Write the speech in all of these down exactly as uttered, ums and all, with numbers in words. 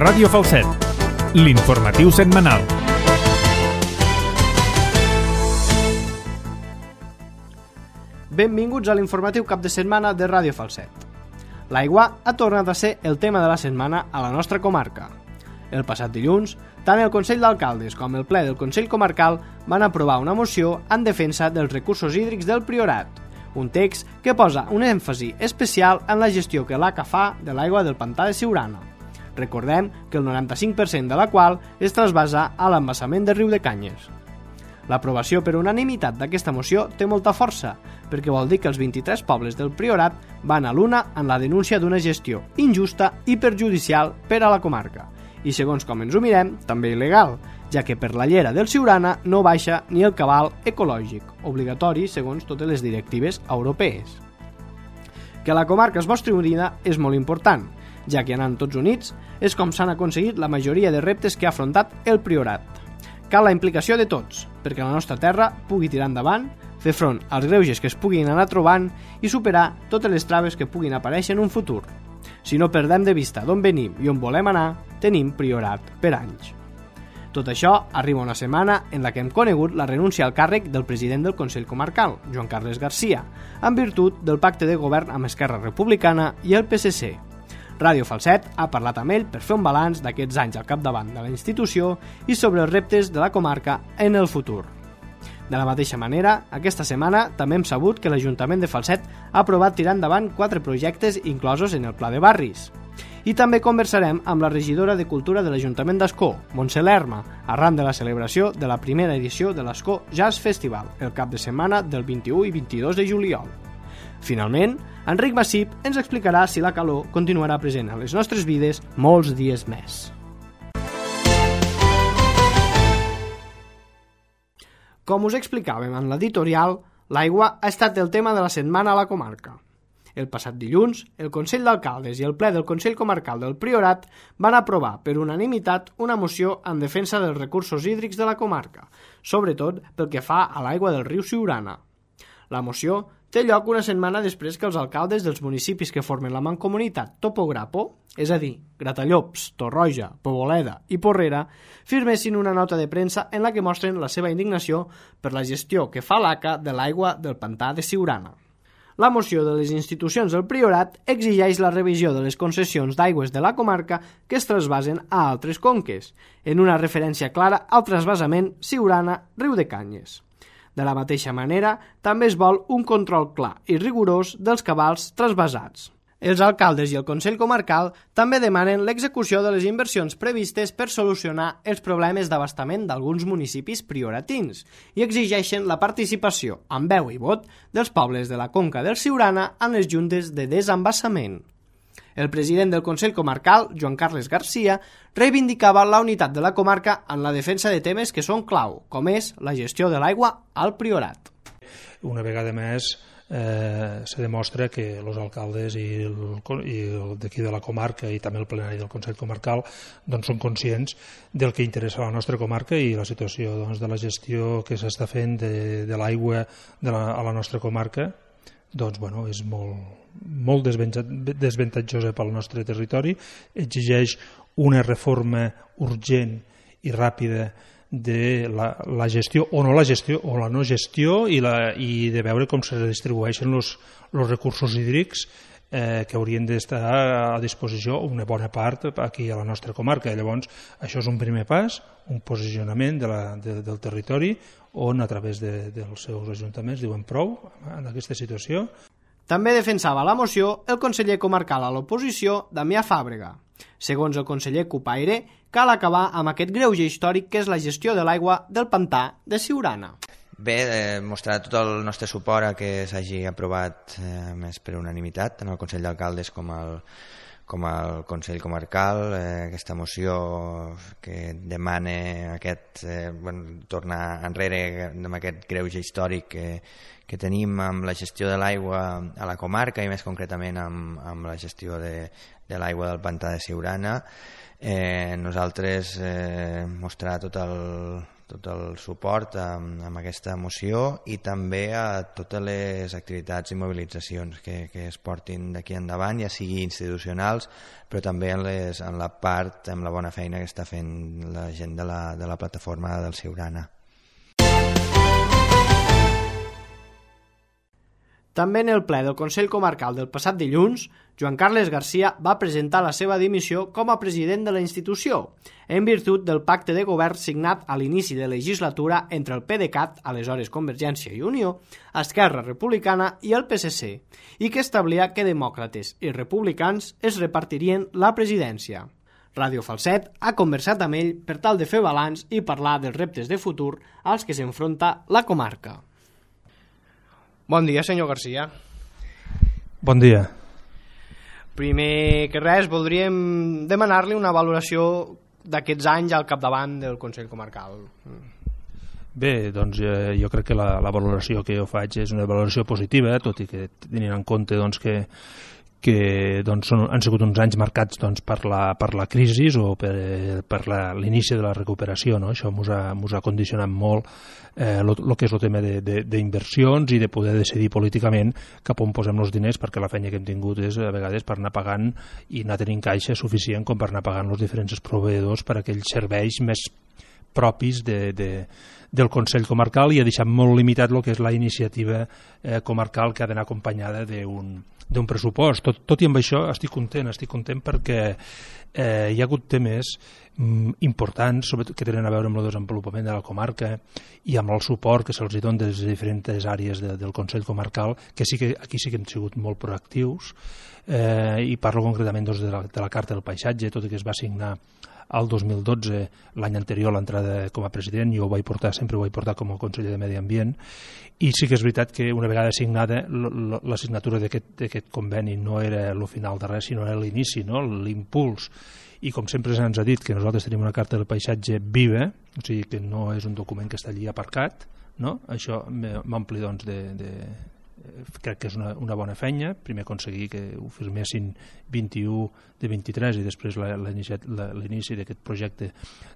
Ràdio Falset, l'informatiu setmanal. Benvinguts a l'informatiu cap de setmana de Ràdio Falset. L'aigua ha tornat a ser el tema de la setmana a la nostra comarca. El passat dilluns, tant el Consell d'Alcaldes com el ple del Consell Comarcal van aprovar una moció en defensa dels recursos hídrics del Priorat, un text que posa un èmfasi especial en la gestió que l'A C A fa de l'aigua del pantà de Siurana. Recordem que el noranta-cinc per cent de la qual es trasbasa a l'embassament del riu de Canyes. L'aprovació per unanimitat d'aquesta moció té molta força, perquè vol dir que els vint-i-tres pobles del Priorat van a l'una en la denúncia d'una gestió injusta i perjudicial per a la comarca, i segons com ens ho mirem, també il·legal, ja que per la llera del Siurana no baixa ni el cabal ecològic, obligatori segons totes les directives europees. Que la comarca es mostri unida és molt important, ja que anant tots units és com s'han aconseguit la majoria de reptes que ha afrontat el Priorat. Cal la implicació de tots, perquè la nostra terra pugui tirar endavant, fer front als greuges que es puguin anar trobant i superar totes les traves que puguin aparèixer en un futur. Si no perdem de vista d'on venim i on volem anar, tenim Priorat per anys. Tot això arriba una setmana en la que hem conegut la renúncia al càrrec del president del Consell Comarcal, Joan Carles Garcia, en virtut del pacte de govern amb Esquerra Republicana i el P S C. Ràdio Falset ha parlat amb ell per fer un balanç d'aquests anys al capdavant de la institució i sobre els reptes de la comarca en el futur. De la mateixa manera, aquesta setmana també hem sabut que l'Ajuntament de Falset ha aprovat tirar endavant quatre projectes inclosos en el Pla de Barris. I també conversarem amb la regidora de Cultura de l'Ajuntament d'Ascó, Montse Lerma, arran de la celebració de la primera edició de l'Ascó Jazz Festival, el cap de setmana del vint-i-u i vint-i-dos de juliol. Finalment, Enric Massip ens explicarà si la calor continuarà present a les nostres vides molts dies més. Com us explicàvem en l'editorial, l'aigua ha estat el tema de la setmana a la comarca. El passat dilluns, el Consell d'Alcaldes i el ple del Consell Comarcal del Priorat van aprovar per unanimitat una moció en defensa dels recursos hídrics de la comarca, sobretot pel que fa a l'aigua del riu Siurana. La moció té lloc una setmana després que els alcaldes dels municipis que formen la mancomunitat Topograpo, és a dir, Gratallops, Torroja, Poboleda i Porrera, firmessin una nota de premsa en la que mostren la seva indignació per la gestió que fa l'A C A de l'aigua del pantà de Siurana. La moció de les institucions del Priorat exigeix la revisió de les concessions d'aigües de la comarca que es trasbasen a altres conques, en una referència clara al trasbasament Siurana-Riu de Canyes. De la mateixa manera, també es vol un control clar i rigorós dels cabals trasbasats. Els alcaldes i el Consell Comarcal també demanen l'execució de les inversions previstes per solucionar els problemes d'abastament d'alguns municipis prioratins i exigeixen la participació, amb veu i vot, dels pobles de la conca del Siurana en les juntes de desembassament. El president del Consell Comarcal, Joan Carles Garcia, reivindicava la unitat de la comarca en la defensa de temes que són clau, com és la gestió de l'aigua al Priorat. Una vegada més eh, se demostra que els alcaldes i, el, i el d'aquí de la comarca i també el plenari del Consell Comarcal doncs, són conscients del que interessa a la nostra comarca i la situació doncs, de la gestió que s'està fent de, de l'aigua de la, a la nostra comarca doncs, bueno, és molt, molt desventatjosa pel nostre territori, exigeix una reforma urgent i ràpida de la, la gestió o no la gestió o la no gestió i, la, i de veure com se distribueixen els recursos hídrics eh, que haurien d'estar a disposició una bona part aquí a la nostra comarca. Llavors, això és un primer pas, un posicionament de la, de, del territori on a través de, dels seus ajuntaments diuen prou en aquesta situació. També defensava la moció el conseller comarcal a l'oposició, Damià Fàbrega. Segons el conseller Cupaire, cal acabar amb aquest greuge històric que és la gestió de l'aigua del pantà de Siurana. Bé, eh, mostrar tot el nostre suport a que s'hagi aprovat eh, més per unanimitat, tant el Consell d'Alcaldes com el, com el Consell Comarcal, eh, aquesta moció que demana aquest, eh, bueno, tornar enrere amb aquest greuge històric que, que tenim amb la gestió de l'aigua a la comarca i més concretament amb, amb la gestió de, de l'aigua del pantà de Siurana. Eh, nosaltres eh, mostrar tot el, tot el suport amb, amb aquesta moció i també a totes les activitats i mobilitzacions que, que es portin d'aquí endavant, ja sigui institucionals, però també en, les, en la part, amb la bona feina que està fent la gent de la, de la plataforma del Siurana. També en el ple del Consell Comarcal del passat dilluns, Joan Carles Garcia va presentar la seva dimissió com a president de la institució, en virtut del pacte de govern signat a l'inici de legislatura entre el PDeCAT, aleshores Convergència i Unió, Esquerra Republicana i el P S C, i que establia que demòcrates i republicans es repartirien la presidència. Ràdio Falset ha conversat amb ell per tal de fer balanç i parlar dels reptes de futur als que s'enfronta la comarca. Bon dia, senyor Garcia. Bon dia. Primer que res, voldríem demanar-li una valoració d'aquests anys al capdavant del Consell Comarcal. Bé, doncs eh, jo crec que la, la valoració que jo faig és una valoració positiva, tot i que tenint en compte doncs, que que doncs, són, han sigut uns anys marcats doncs, per, la, per la crisi o per, per l'inici de la recuperació. No? Això ens ha, ha condicionat molt eh, lo, lo que és el tema d'inversions i de poder decidir políticament cap on posem els diners, perquè la feina que hem tingut és a vegades per anar pagant i anar tenint caixa suficient com per anar pagant els diferents proveïdors per aquells serveis més propis de, de, del Consell Comarcal, i ha deixat molt limitat el que és la iniciativa eh, comarcal, que ha d'anar acompanyada d'un d'un pressupost. Tot, tot i amb això estic content, estic content perquè eh, hi ha hagut temes mm, importants, sobretot que tenen a veure amb el desenvolupament de la comarca i amb el suport que se'ls dona des de diferents àrees de, del Consell Comarcal, que sí que aquí sí que hem sigut molt proactius, eh, i parlo concretament doncs, de, la, de la Carta del Paisatge, tot i que es va signar al dos mil dotze, l'any anterior a l'entrada com a president. Jo ho vaig portar, sempre ho vaig portar com a conseller de Medi Ambient, i sí que és veritat que una vegada signada la signatura d'aquest conveni no era el final de res, sinó era l'inici, no? L'impuls. I com sempre se'ns ha dit que nosaltres tenim una Carta del Paisatge viva, o sigui que no és un document que està allí aparcat, no? Això m'ompli doncs de, de crec que és una, una bona feina. Primer aconseguir que ho firmessin vint-i-u de vint-i-tres i després l'inici d'aquest projecte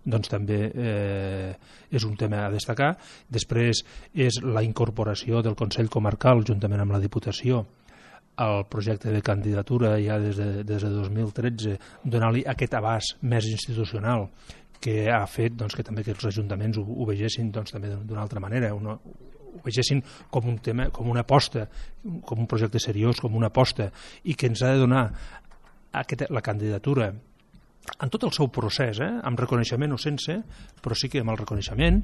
doncs també eh, és un tema a destacar. Després és la incorporació del Consell Comarcal juntament amb la Diputació al projecte de candidatura ja des de, des de dos mil tretze, donar-li aquest abast més institucional que ha fet doncs, que també que els ajuntaments ho, ho vegessin doncs, també d'una altra manera, una, ho vegessin com un tema, com una aposta, com un projecte seriós, com una aposta, i que ens ha de donar aquesta, la candidatura en tot el seu procés, eh? Amb reconeixement o sense, però sí que amb el reconeixement,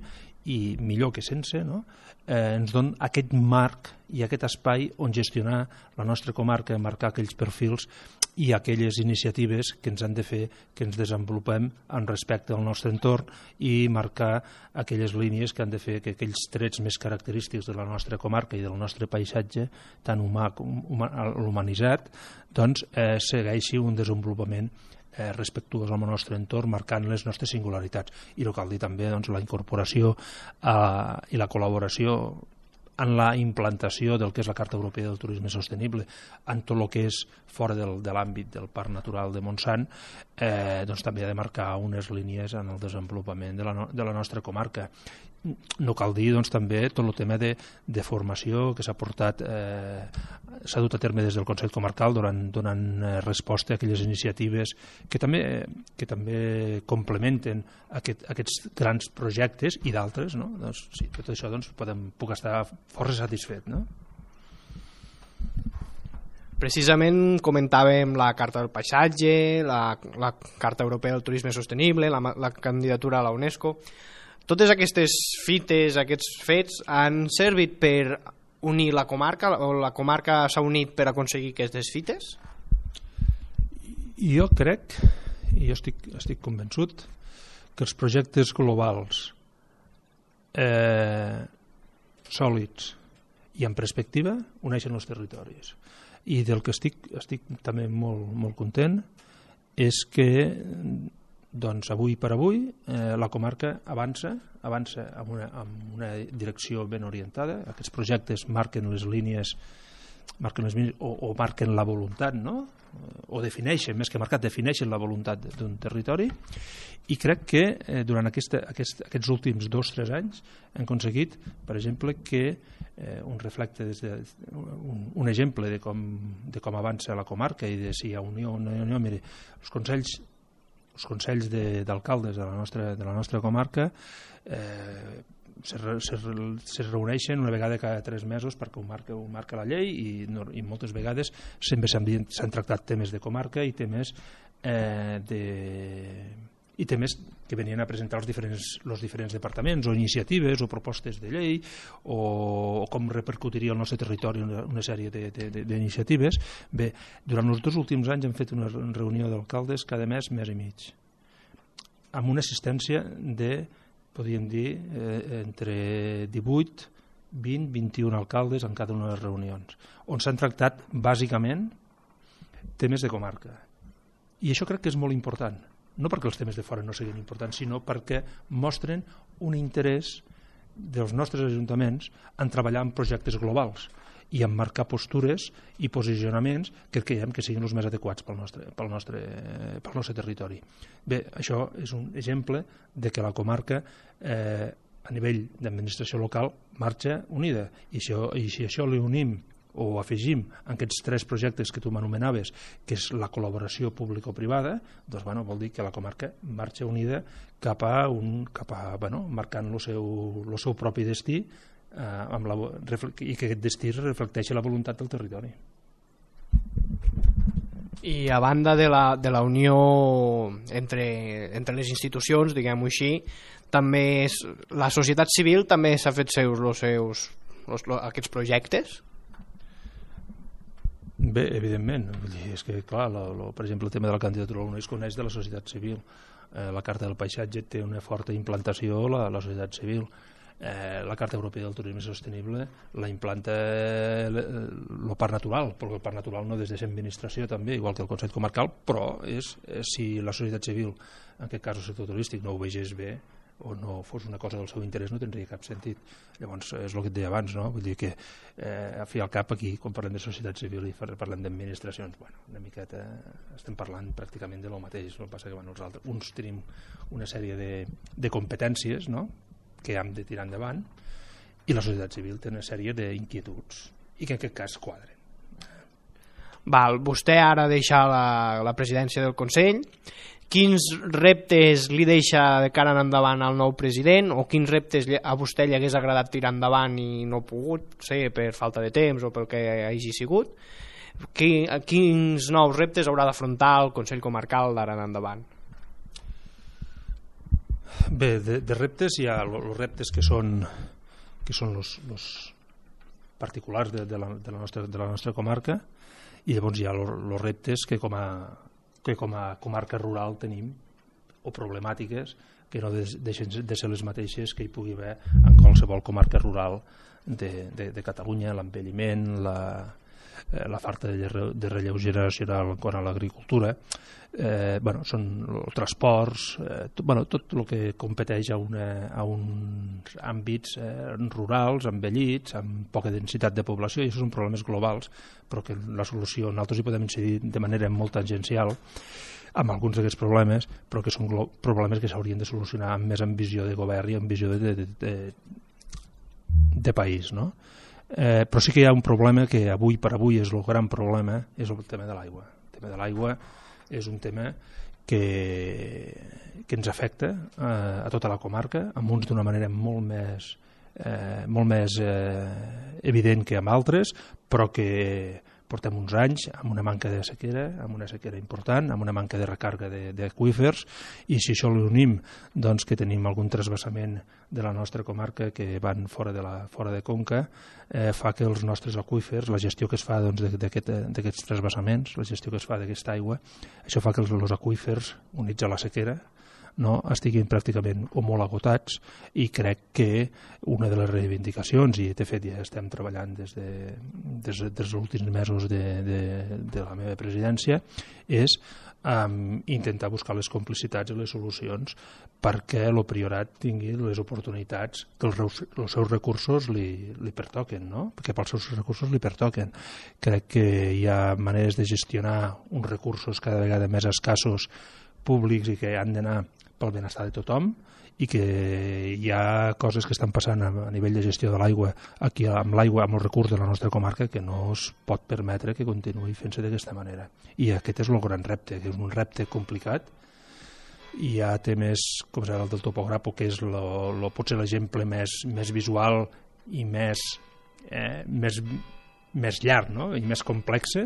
i millor que sense, no? eh, ens dona aquest marc i aquest espai on gestionar la nostra comarca, marcar aquells perfils i aquelles iniciatives que ens han de fer que ens desenvolupem en respecte al nostre entorn i marcar aquelles línies que han de fer que aquells trets més característics de la nostra comarca i del nostre paisatge, tant humà com humanitzat, doncs eh, segueixi un desenvolupament eh, respectuós amb el nostre entorn, marcant les nostres singularitats. I no cal dir també doncs, la incorporació eh, i la col·laboració en la implantació del que és la Carta Europea del Turisme Sostenible, en tot el que és fora del, de l'àmbit del Parc Natural de Montsant, eh, doncs també ha de marcar unes línies en el desenvolupament de la, no, de la nostra comarca. No cal dir doncs, també tot el tema de, de formació que s'ha portat, eh, s'ha dut a terme des del Consell Comarcal donant, donant resposta a aquelles iniciatives que també, que també complementen aquest, aquests grans projectes i d'altres, no? Doncs, sí, tot això doncs, podem, puc estar força satisfet, no? Precisament comentàvem la Carta del Paisatge, la, la Carta Europea del Turisme Sostenible, la, la candidatura a la UNESCO. Totes aquestes fites, aquests fets, han servit per unir la comarca, o la comarca s'ha unit per aconseguir aquestes fites? Jo crec, i jo estic, estic convençut, que els projectes globals eh, sòlids i en perspectiva uneixen els territoris. I del que estic, estic també molt, molt content és que doncs avui per avui eh, la comarca avança, avança amb una, amb una direcció ben orientada. Aquests projectes marquen les línies marquen les mínimes, o, o marquen la voluntat, no? O defineixen, més que marcat, defineixen la voluntat d'un territori, i crec que eh, durant aquesta, aquest, aquests últims dos o tres anys hem aconseguit, per exemple, que eh, un reflecte des de, un, un exemple de com, de com avança la comarca i de si hi ha unió o no hi ha unió. Mire, els consells els consells d'alcaldes de, de, la nostra, de la nostra comarca eh, se, se, se reuneixen una vegada cada tres mesos perquè ho marca, ho marca la llei, i, no, i moltes vegades sempre s'han tractat temes de comarca i temes eh, de i temes que venien a presentar els diferents, els diferents departaments, o iniciatives o propostes de llei, o, o com repercutiria el nostre territori una, una sèrie d'iniciatives. Bé, durant els dos últims anys hem fet una reunió d'alcaldes cada mes, mes i mig, amb una assistència de, podríem dir, eh, entre divuit, vint, vint-i-un alcaldes en cada una de les reunions, on s'han tractat bàsicament temes de comarca. I això crec que és molt important, no perquè els temes de fora no siguin importants, sinó perquè mostren un interès dels nostres ajuntaments en treballar en projectes globals i en marcar postures i posicionaments que creiem que siguin els més adequats pel nostre, pel nostre, pel nostre territori. Bé, això és un exemple de que la comarca eh, a nivell d'administració local marxa unida, i si, i si això li unim o afegim en aquests tres projectes que tu m'anomenaves, que és la col·laboració público-privada, doncs bueno, vol dir que la comarca marxa unida cap a un, cap a, bueno, marcant el seu, el seu propi destí, eh, amb la, i que aquest destí reflecteixi la voluntat del territori. I a banda de la, de la unió entre, entre les institucions, diguem-ho així, també és, la societat civil també s'ha fet seus, los seus los, los, aquests projectes? Bé, evidentment, és que clar, lo, lo, per exemple el tema de la candidatura no es coneix de la societat civil, eh, la Carta del Paisatge té una forta implantació la, la societat civil, eh, la Carta Europea del Turisme Sostenible la implanta el parc natural, perquè el parc natural no des de l'administració també, igual que el Consell Comarcal, però és, és si la societat civil, en aquest cas el sector turístic, no ho vegés bé o no fos una cosa del seu interès, no tindria cap sentit. Llavors és el que et deia abans, no? Vull dir que eh, a fi al cap aquí, quan parlem de societat civil i parlem d'administracions, bueno, una miqueta estem parlant pràcticament de lo mateix. El que passa que bueno, els altres, uns tenim una sèrie de, de competències, no?, que hem de tirar endavant, i la societat civil té una sèrie d'inquietuds i que en aquest cas quadren. Val, vostè ara deixa la, la presidència del Consell. Quins reptes li deixa de cara en endavant al nou president, o quins reptes a vostè li hagués agradat tirar endavant i no ha pogut, sé, per falta de temps o pel que hagi sigut? Quins nous reptes haurà d'afrontar el Consell Comarcal d'ara en endavant? Bé, de, de reptes hi ha els reptes que són que són els, els particulars de, de, la, de, la nostra, de la nostra comarca, i llavors hi ha els reptes que com a que com a comarca rural tenim, o problemàtiques que no deixen de ser les mateixes que hi pugui haver en qualsevol comarca rural de, de, de Catalunya, l'envelliment, la, eh, la falta de, de relleu generacional quant a l'agricultura, eh, bueno, són els transports, eh, tot, bueno, tot el que competeix a, una, a uns àmbits eh, rurals, envellits, amb poca densitat de població, i això són problemes globals, però que la solució, nosaltres hi podem incidir de manera molt tangencial amb alguns d'aquests problemes, però que són problemes que s'haurien de solucionar amb més amb visió de govern i amb visió de, de, de, de país, no? Eh, però sí que hi ha un problema que avui per avui és el gran problema, és el tema de l'aigua. El tema de l'aigua és un tema que, que ens afecta eh, a tota la comarca, amb uns d'una manera molt més, eh, molt més eh, evident que amb altres, però que portem uns anys amb una manca de sequera, amb una sequera important, amb una manca de recàrrega d'aqüífers, i si això l'unim, doncs que tenim algun trasbassament de la nostra comarca que van fora de, la, fora de Conca, eh, fa que els nostres aqüífers, la gestió que es fa doncs, d'aquests aquest, trasbassaments, la gestió que es fa d'aquesta aigua, això fa que els, els aqüífers, units a la sequera, no, estiguin pràcticament o molt agotats, i crec que una de les reivindicacions, i de fet ja estem treballant des, de, des, des dels últims mesos de, de, de la meva presidència, és um, intentar buscar les complicitats i les solucions perquè el Priorat tingui les oportunitats que els, els seus recursos li, li pertoquen, no? Perquè pels seus recursos li pertoquen. Crec que hi ha maneres de gestionar uns recursos cada vegada més escassos públics i que han d'anar pel benestar de tothom, i que hi ha coses que estan passant a, a nivell de gestió de l'aigua aquí amb l'aigua, amb els recursos de la nostra comarca, que no es pot permetre que continuï fent-se d'aquesta manera. I aquest és el gran repte, que és un repte complicat. Hi ha temes com serà el del topògrafo, que és lo, lo, potser l'exemple més, més visual i més, eh, més, més llarg, no? I més complex,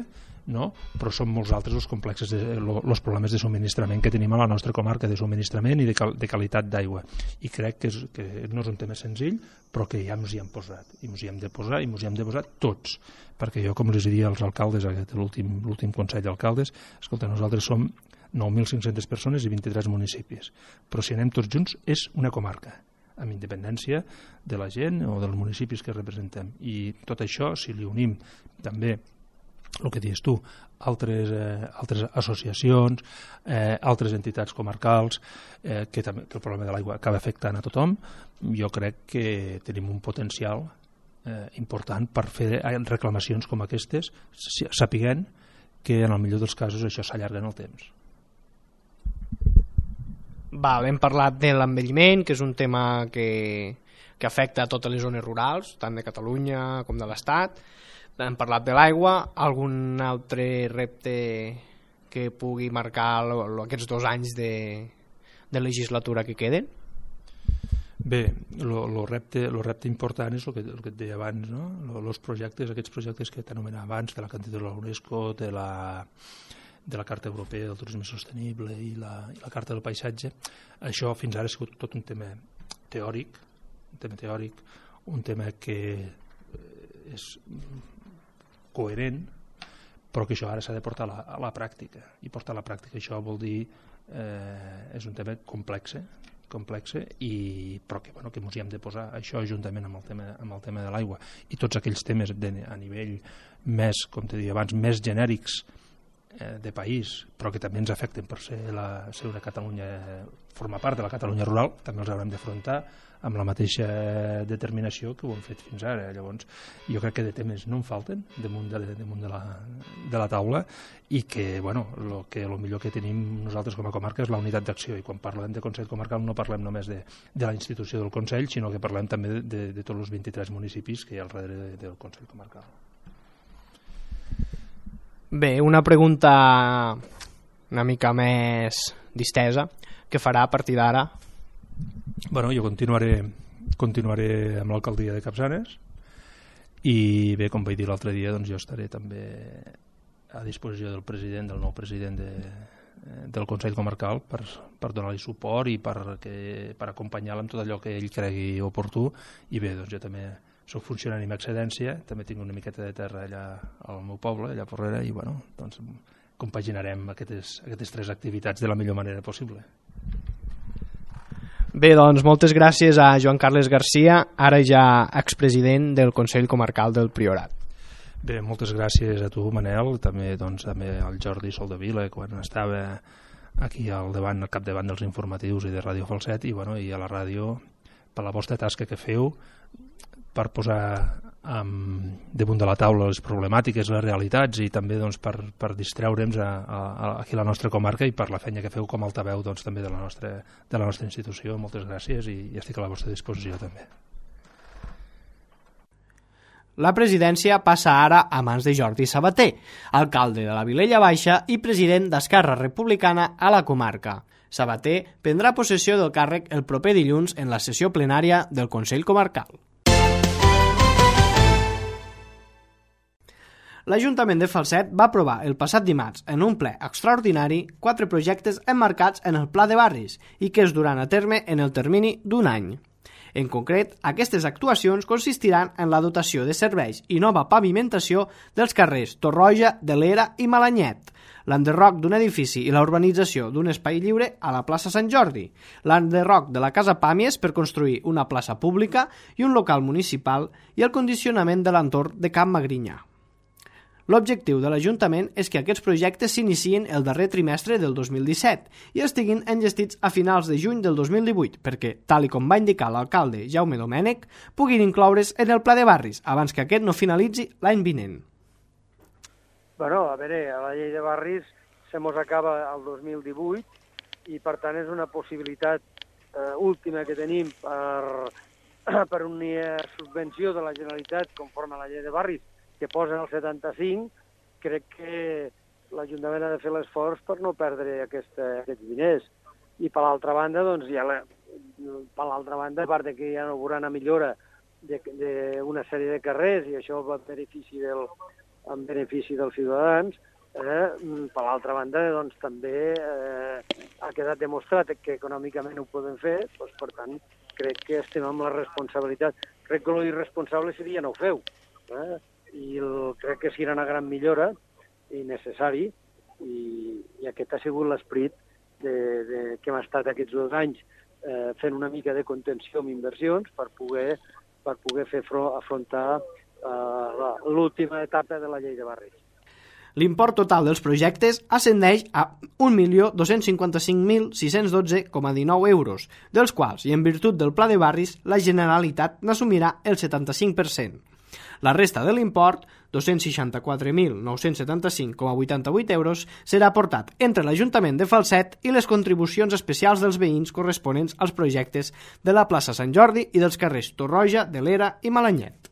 no? Però són molts altres els complexes de, lo, los problemes de subministrament que tenim a la nostra comarca, de subministrament i de, cal, de qualitat d'aigua, i crec que, és, que no és un tema senzill, però que ja ens hi hem posat, i ens hi hem de posar, i ens hi hem de posar tots, perquè jo, com els diria als alcaldes, aquest l'últim l'últim Consell d'Alcaldes, escolta, nosaltres som nou mil cinc-centes persones i vint-i-tres municipis, però si anem tots junts és una comarca, amb independència de la gent o dels municipis que representem. I tot això, si li unim també el que dius tu, altres, eh, altres associacions, eh, altres entitats comarcals, eh, que, també, que el problema de l'aigua acaba afectant a tothom, jo crec que tenim un potencial eh, important per fer reclamacions com aquestes, sapiguent que en el millor dels casos això s'allarga en el temps. Val, hem parlat de l'envelliment, que és un tema que, que afecta a totes les zones rurals, tant de Catalunya com de l'Estat. Hem parlat de l'aigua. Algun altre repte que pugui marcar lo, lo, aquests dos anys de, de legislatura que queden? Bé, el repte, lo repte important és el que, el que et deia abans, no? Els projectes, aquests projectes que t'anomenava abans, de la candidatura de la UNESCO, de la, de la Carta Europea del Turisme Sostenible i la, i la Carta del Paisatge, això fins ara ha sigut tot un tema teòric, un tema teòric, un tema que és coherent, però que això ara s'ha de portar a la, a la pràctica, i portar a la pràctica això vol dir eh, és un tema complex, complex i, però que, bueno, que ens hi hem de posar això juntament amb el tema, amb el tema de l'aigua i tots aquells temes de, a nivell més, com te deia abans, més genèrics eh, de país, però que també ens afecten per ser, la, ser una Catalunya, formar part de la Catalunya rural, també els haurem d'afrontar amb la mateixa determinació que ho hem fet fins ara. Llavors, jo crec que de temes no en falten damunt de, damunt de, la, de la taula, i que, bueno, lo que lo millor que tenim nosaltres com a comarca és la unitat d'acció, i quan parlem de Consell Comarcal no parlem només de, de la institució del Consell, sinó que parlem també de, de, de tots els vint-i-tres municipis que hi ha al darrere del Consell Comarcal. Bé, una pregunta una mica més distesa, què farà a partir d'ara? Bueno, jo continuaré, continuaré amb l'alcaldia de Capçanes, i bé, com vaig dir l'altre dia, doncs jo estaré també a disposició del president, del nou president de, del Consell Comarcal per, per donar-li suport i per, que, per acompanyar-lo en tot allò que ell cregui oportú. I bé, doncs jo també soc funcionari amb excedència, també tinc una miqueta de terra allà al meu poble, allà a Porrera, i bueno, doncs compaginarem aquestes, aquestes tres activitats de la millor manera possible. Bé, doncs moltes gràcies a Joan Carles Garcia, ara ja expresident del Consell Comarcal del Priorat. Bé, moltes gràcies a tu, Manel, també, doncs, també al Jordi Soldevila, quan estava aquí al davant, al capdavant dels informatius i de Ràdio Falset, i, bueno, i a la ràdio, per la vostra tasca que feu, per posar um, damunt de la taula les problemàtiques, les realitats, i també doncs, per, per distreure'ns a, a, a, aquí a la nostra comarca, i per la feina que feu com a altaveu doncs, també de la, nostra, de la nostra institució. Moltes gràcies, i, i estic a la vostra disposició també. La presidència passa ara a mans de Jordi Sabater, alcalde de la Vilella Baixa i president d'Esquerra Republicana a la comarca. Sabater prendrà possessió del càrrec el proper dilluns en la sessió plenària del Consell Comarcal. L'Ajuntament de Falset va aprovar el passat dimarts en un ple extraordinari quatre projectes emmarcats en el Pla de Barris i que es duran a terme en el termini d'un any. En concret, aquestes actuacions consistiran en la dotació de serveis i nova pavimentació dels carrers Torroja, de l'Era i Malanyet, l'enderroc d'un edifici i la urbanització d'un espai lliure a la plaça Sant Jordi, l'enderroc de la Casa Pàmies per construir una plaça pública i un local municipal i el condicionament de l'entorn de Camp Magrinyà. L'objectiu de l'Ajuntament és que aquests projectes s'iniciïn el darrer trimestre del dos mil disset i estiguin enllestits a finals de juny del dos mil divuit perquè, tal i com va indicar l'alcalde Jaume Domènech, puguin incloure's en el Pla de Barris abans que aquest no finalitzi l'any vinent. Bueno, a veure, a la llei de barris se mos acaba el dos mil divuit i per tant és una possibilitat eh, última que tenim per, per una subvenció de la Generalitat conforme a la llei de barris que posen el setanta-cinc, crec que l'Ajuntament ha de fer l'esforç per no perdre aquesta, aquests diners. I per l'altra banda, doncs, ja la, per l'altra banda, a part de que hi ha una millora d'una sèrie de carrers i això va en benefici, del, en benefici dels ciutadans, eh, per l'altra banda, doncs, també eh, ha quedat demostrat que econòmicament ho podem fer, doncs, per tant, crec que estem amb la responsabilitat. Crec que l'irresponsable seria no ho feu, eh? I el, crec que serà una gran millora i necessari i, i aquest ha sigut l'esperit de, de, que hem estat aquests dos anys eh, fent una mica de contenció amb inversions per poder, per poder fer front, afrontar eh, l'última etapa de la llei de barris. L'import total dels projectes ascendeix a un milió dos-cents cinquanta-cinc mil sis-cents dotze coma dinou euros, dels quals, i en virtut del Pla de Barris, la Generalitat n'assumirà el setanta-cinc per cent. La resta de l'import, dos-cents seixanta-quatre mil nou-cents setanta-cinc coma vuitanta-vuit euros, serà aportat entre l'Ajuntament de Falset i les contribucions especials dels veïns corresponents als projectes de la plaça Sant Jordi i dels carrers Torroja, de l'Era i Malanyet.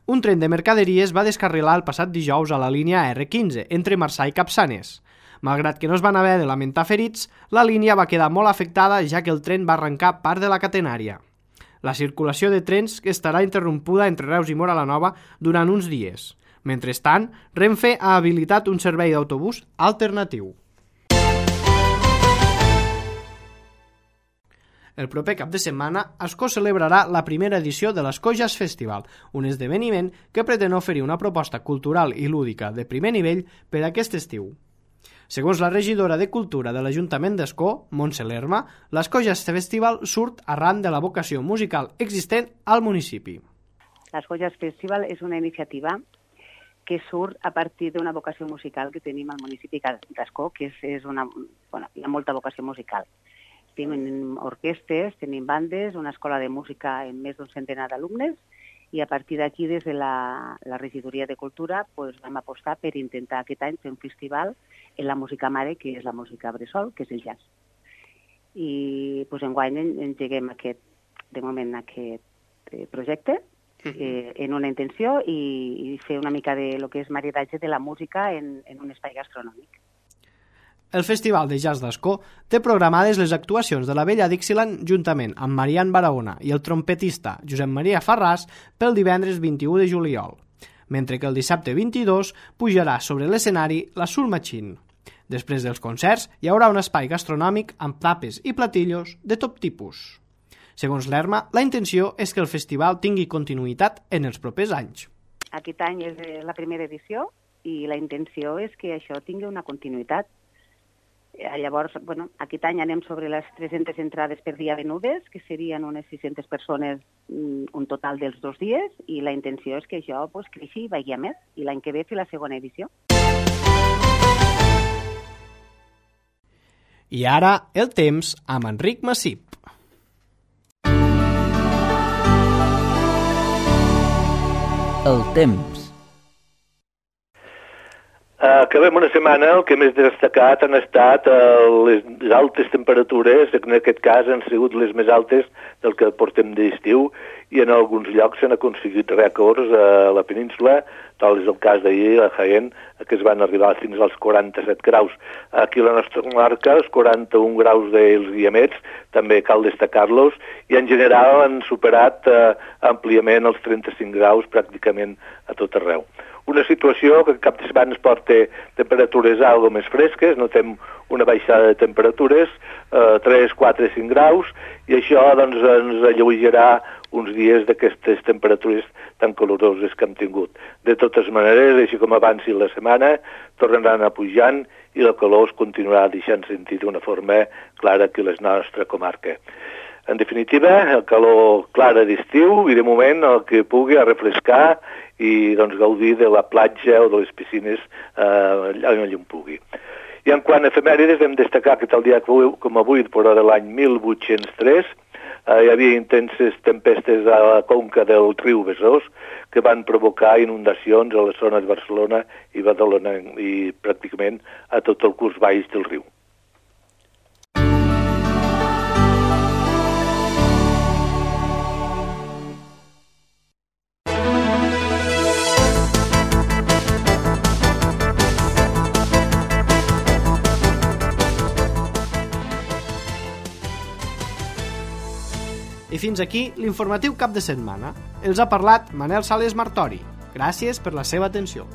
Un tren de mercaderies va descarrilar el passat dijous a la línia erre quinze, entre Marçà i Capçanes. Malgrat que no es van haver de lamentar ferits, la línia va quedar molt afectada ja que el tren va arrencar part de la catenària. La circulació de trens estarà interrompuda entre Reus i Móra la Nova durant uns dies. Mentrestant, Renfe ha habilitat un servei d'autobús alternatiu. El proper cap de setmana, Ascó celebrarà la primera edició de l'Ascó Jazz Festival, un esdeveniment que pretén oferir una proposta cultural i lúdica de primer nivell per a aquest estiu. Segons la regidora de Cultura de l'Ajuntament d'Ascó, Montse Lerma, l'Ascó Jazz Festival surt arran de la vocació musical existent al municipi. L'Ascó Jazz Festival és una iniciativa que surt a partir d'una vocació musical que tenim al municipi d'Ascó, que és, és una, bueno, hi ha molta vocació musical. Tenim orquestes, tenim bandes, una escola de música amb més d'un centenar d'alumnes, i a partir d'aquí, des de la, la regidoria de Cultura, pues, vam apostar per intentar aquest any fer un festival en la música mare, que és la música bressol, que és el jazz. I pues, enguany engeguem aquest, de moment aquest eh, projecte eh, en una intenció i, i fer una mica de lo que és maridatge de la música en, en un espai gastronòmic. El Festival de Jazz d'Ascó té programades les actuacions de la Vella Dixieland juntament amb Marian Barahona i el trompetista Josep Maria Farràs pel divendres vint-i-u de juliol, mentre que el dissabte vint-i-dos pujarà sobre l'escenari la Soul Machine. Després dels concerts hi haurà un espai gastronòmic amb tapes i platillos de tot tipus. Segons l'Erma, la intenció és que el festival tingui continuïtat en els propers anys. Aquest any és la primera edició i la intenció és que això tingui una continuïtat. Llavors, bueno, aquest any anem sobre les tres-centes entrades per dia venudes, que serien unes sis-centes persones un total dels dos dies, i la intenció és que això pues, creixi i vagi a més, i l'any que ve fer la segona edició. I ara, el temps amb Enric Massip. El temps. Acabem una setmana, el que més destacat han estat les altes temperatures, en aquest cas han sigut les més altes del que portem d'estiu, i en alguns llocs s'han aconseguit rècords a la península, tal és el cas d'ahir a Jaén, que es van arribar fins als quaranta-set graus. Aquí a la nostra comarca, els quaranta-un graus dels Guiamets, també cal destacar-los, i en general han superat eh, àmpliament els trenta-cinc graus pràcticament a tot arreu. una situació que cap de setmana es porta temperatures algo més fresques, notem una baixada de temperatures, eh, tres, quatre, cinc graus, i això doncs, ens alleugerà uns dies d'aquestes temperatures tan caloroses que hem tingut. De totes maneres, així com avanci la setmana, tornaran a pujant i la calor es continuarà deixant sentir d'una forma clara aquí a la nostra comarca. En definitiva, el calor clara d'estiu i de moment el que pugui a refrescar i doncs, gaudir de la platja o de les piscines eh, allà on pugui. I en quant a efemèrides, hem destacat que tal dia com avui, però de l'any mil vuit-cents tres, eh, hi havia intenses tempestes a la conca del riu Besòs que van provocar inundacions a les zones de Barcelona i Badalona i pràcticament a tot el curs baix del riu. I fins aquí l'informatiu cap de setmana. Els ha parlat Manel Sales Martori. Gràcies per la seva atenció.